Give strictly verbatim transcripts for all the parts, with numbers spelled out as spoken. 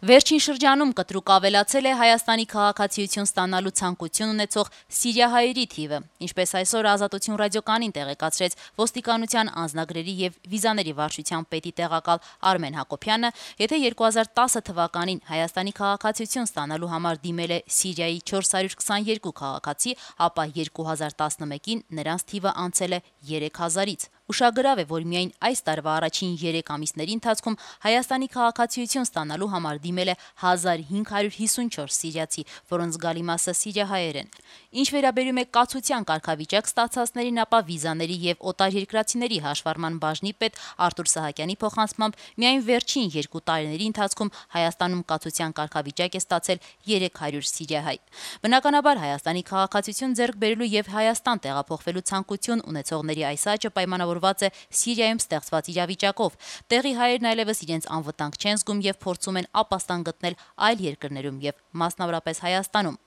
Վերջին շրջանում կտրուկ ավելացել է Հայաստանի քաղաքացիություն ստանալու ցանկություն ունեցող սիրիահայերի թիվը, ինչպես այսօր Ազատություն ռադիոկայանին տեղեկացրեց ոստիկանության անձնագրերի եւ վիզաների վարչության պետի տեղակալ Արմեն Հակոբյանը, եթե երկու հազար տասը թվականին Հայաստանի քաղաքացիություն ստանալու համար դիմել է Սիրիայի չորս հարյուր քսաներկու քաղաքացի, ապա երկու հազար տասնմեկին նրանց թիվը անցել է երեք հազարից։ Ուշագրավ է, որ միայն այս տարվա առաջին երեք ամիսների ընթացքում Հայաստանի քաղաքացիություն ստանալու համար դիմել է հազար հինգ հարյուր հիսունչորս սիրիացի, որոնց զգալի մասը սիրիահայեր են։ Ինչ վերաբերում է կացության կարգավիճակ ստացածներին, ապա վիզաների եւ օտարերկրացիների հաշվառման բաժնի պետ Արտուր Սահակյանի փոխանցմամբ միայն վերջին երկու տարիների ընթացքում Հայաստանում կացության կարգավիճակ է ստացել երեք հարյուր սիրիահայ։ Բնականաբար Հայաստանի քաղաքացիություն ձեռք բերելու եւ Հայաստան տեղափոխվելու ցանկություն ունեցողների այս աճը պայմանավորված է Սիրիայում ստեղծված իրավիճակով։ Տեղի հայերն այլևս իրենց անվտանգ չեն զգում եւ փորձում են ապաստան գտնել այլ երկրներում եւ մասնավորապես Հայաստանում։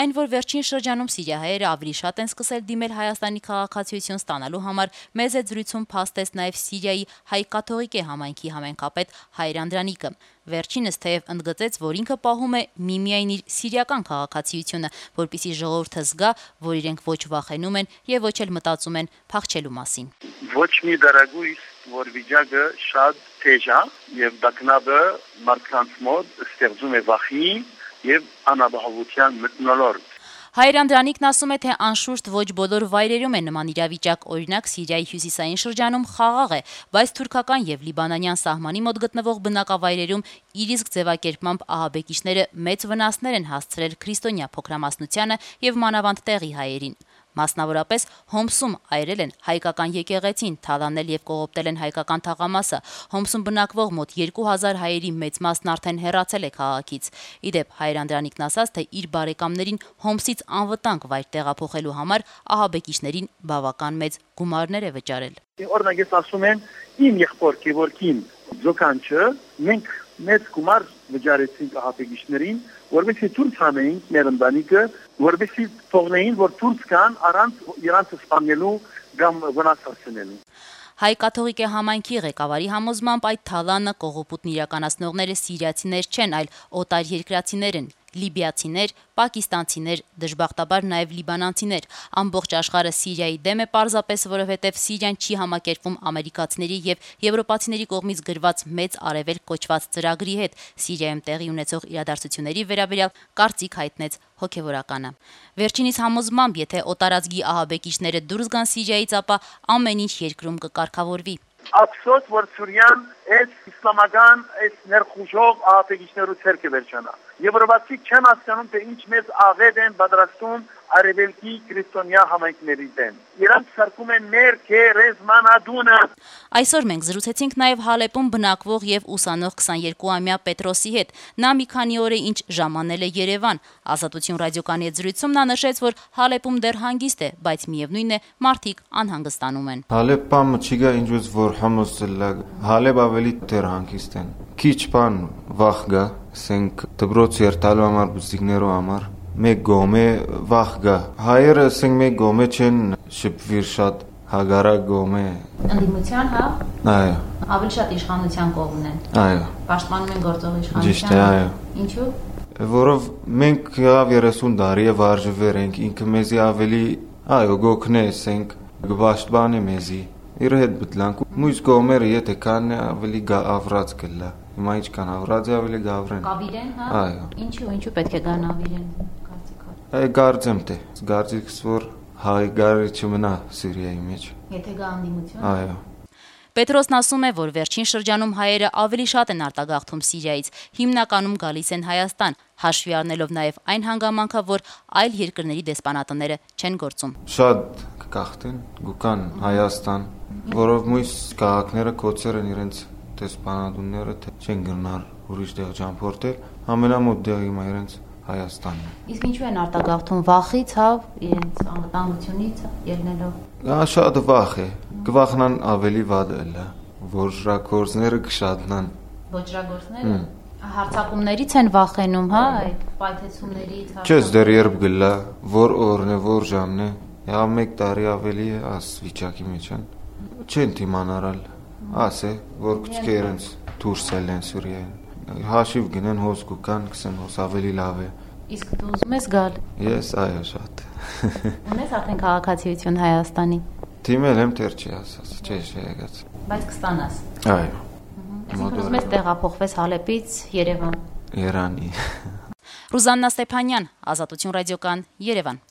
Այն, որ վերջին շրջանում սիրիահայերը ավելի շատ են սկսել դիմել Հայաստանի քաղաքացիություն ստանալու համար, մեծ է զրույցում փաստեց նաեւ Սիրիայի հայ կաթողիկե համայնքի համայնքապետ Հայր Անդրանիկը։ Վերջինս թեև ընդգծեց, որ ինքը պահում է միմիայն իր սիրիական քաղաքացիությունը, որպեսզի ժողովուրդը զգա, որ իրենք ոչ վախենում են եւ ոչ էլ մտածում են փախչելու մասին։ Ոչ մի դարագույս, որ վիճակը շատ թեժ է եւ դակնաբը մարդկանց մոտ ստեղծում է վախի եւ անապահովության մթնոլորտ։ Հայր Անդրանիկն ասում է, թե անշուշտ ոչ բոլոր վայրերում է նման իրավիճակ, օրինակ Սիրիայի հյուսիսային շրջանում խաղաղ է, բայց թուրքական եւ լիբանանյան սահմանի մոտ գտնվող բնակավայրերում իր իսկ ձևակերպմամբ ահաբեկիչները մեծ վնասներ են հասցրել քրիստոնյա փոքրամասնությանը եւ մանավանդ տեղի հայերին։ Մասնավորապես Հոմսում այրել են հայկական եկեղեցին, թալանել եւ կողոպտել են հայկական թաղամասը։ Հոմսում բնակվող մոտ երկու հազար հայերի մեծ մասն արդեն հեռացել է քաղաքից։ Իդեպ Հայր Անդրանիկն ասաց, թե իր բարեկամներին Հոմսից անվտանգ վայր տեղափոխելու համար ահաբեկիչներին բավական մեծ գումարներ է վճարել։ Օրինակ ես ասում եմ, իմ եղբոր Գևորգին Ձոկանչը մենք մեծ գումար վճարեցինք ահաբեկիչներին, որովհետեւ դուրս հանեինք մեր ընտանիքը, որովհետեւ թողնեին, որ դուրս գան առանց իրանց սպանելու կամ վնասացնելու։ Հայ կաթողիկե համայնքի ղեկավարի համոզմամբ այդ թալանը կողոպուտն իրականացնողները սիրիացիներ չեն, այլ օտար երկրացիներ են, լիբիացիներ, պակիստանցիներ, դժբախտաբար նաև լիբանանցիներ։ Ամբողջ աշխարհը Սիրիայի դեմ է պարզապես, որովհետև Սիրիան չի համակերպվում ամերիկացիների եւ եվրոպացիների կողմից գրված մեծ արևելք կոչված ծրագրի հետ։ Սիրիայում տեղի ունեցող իրադարձությունների վերաբերյալ կարծիք հայտնեց հոգևորականը։ Վերջինիս համոզմամբ, եթե օտարածգի ահաբեկիչները դուրս գան Սիրիայից, ապա ամեն ինչ երկրում կկարգավորվի։ Ափսոս, որ Սուրիան այս իսլամական այս ներխուժող ահաբեկիչներու ցերկը վերջանա։ Եվրոպացի չեն հասկանում, թե ինչ մեծ աղետ են պատրաստում արևելքի քրիստոնյա համայնքների դեմ։ Իրանք սարքում են մեր քերեզմանադունը։ Այսօր մենք զրուցեցինք նաև Հալեպում բնակվող եւ ուսանող քսաներկուամյա Պետրոսի հետ։ Նա մի քանի օր է ինչ ժամանել է Երևան։ Ազատություն ռադիոկայանի հետ զրույցում նա նշեց, որ Հալեպում դեռ հանգիստ է, բայց միևնույն է, մարդիկ անհանգստանում են։ Հալեպը չգա ինչուց որ համոստելա, Հալեպ ավելի դեռ հանգիստ են։ Քիչ բան վախ գա, ասենք դպրոց երթալու համար բուսիկներու համար մեկ գոմե վախ գա։ Հայերը ասենք մեկ գոմե չեն շփվիր շատ հագարակ գոմե։ Ընդդիմության, հա։ Այո։ Ավելի շատ իշխանության կողմն են։ Այո։ Պաշտպանում են գործող իշխանության։ Ճիշտ է, այո։ Ինչու՞։ Որով մենք յավ երեսուն տարի է վարժվեր ենք, ինքը մեզի ավելի, այո, գոքնե ասենք, գբաշտբան է մեզի։ Իր հետ բտլանք, մույս գոմերը եթե կան ավելի գավրած կլա։ Հիմա ինչ կան ավրած է ավելի գավրեն։ Կավիրեն, հա։ Այո։ Ինչու, ինչու պետք է գան ավիրեն, կարծիքով։ Այ գարձեմ թե, գարձիկս որ հայ գարի չմնա Սիրիայի մեջ։ Եթե գա անդիմություն։ Այո։ Պետրոսն ասում է, որ վերջին շրջանում հայերը ավելի շատ են արտագաղթում Սիրիայից, հիմնականում գալիս են Հայաստան, հաշվի առնելով նաև այն հանգամանքը, որ այլ երկրների դեսպանատները չեն գործում։ Շատ կգաղթեն, գուկան Հայաստան, որով մույս քաղաքները կոչեր են իրենց դեսպանատունները, թե չեն գնար ուրիշ տեղ ճամփորդել, ամենամոտ տեղը հիմա իրենց Հայաստանն է։ Իսկ ինչու են արտագաղթում վախից, հա, իրենց անվտանգությունից ելնելով։ Դա շատ վախ է, կվախնան ավելի վատ էլա, ոչրագործները կշատնան։ Ոչրագործները հարձակումներից են վախենում, հա, այդ պայթեցումներից։ Չես դեռ երբ գլա, որ օրն է, որ ժամն է, հա մեկ տարի ավելի է աս վիճակի մեջ են։ Չեն թիմանարալ, ասե, որ քչքե իրենց դուրս ելեն Սուրիայեն։ Հաշիվ գնեն հոս կան, կսեն հոս ավելի լավ է։ Իսկ դու ուզում ես գալ։ Ես այո շատ։ Ունես արդեն քաղաքացիություն Հայաստանի։ Դիմել եմ դեռ չի ասած, չէ, չի եկած։ Բայց կստանաս։ Այո։ Այսինքն ուզում ես տեղափոխվես Հալեպից Երևան։ Երանի։ Ռուզաննա Ստեփանյան, Ազատություն ռադիոկան, Երևան։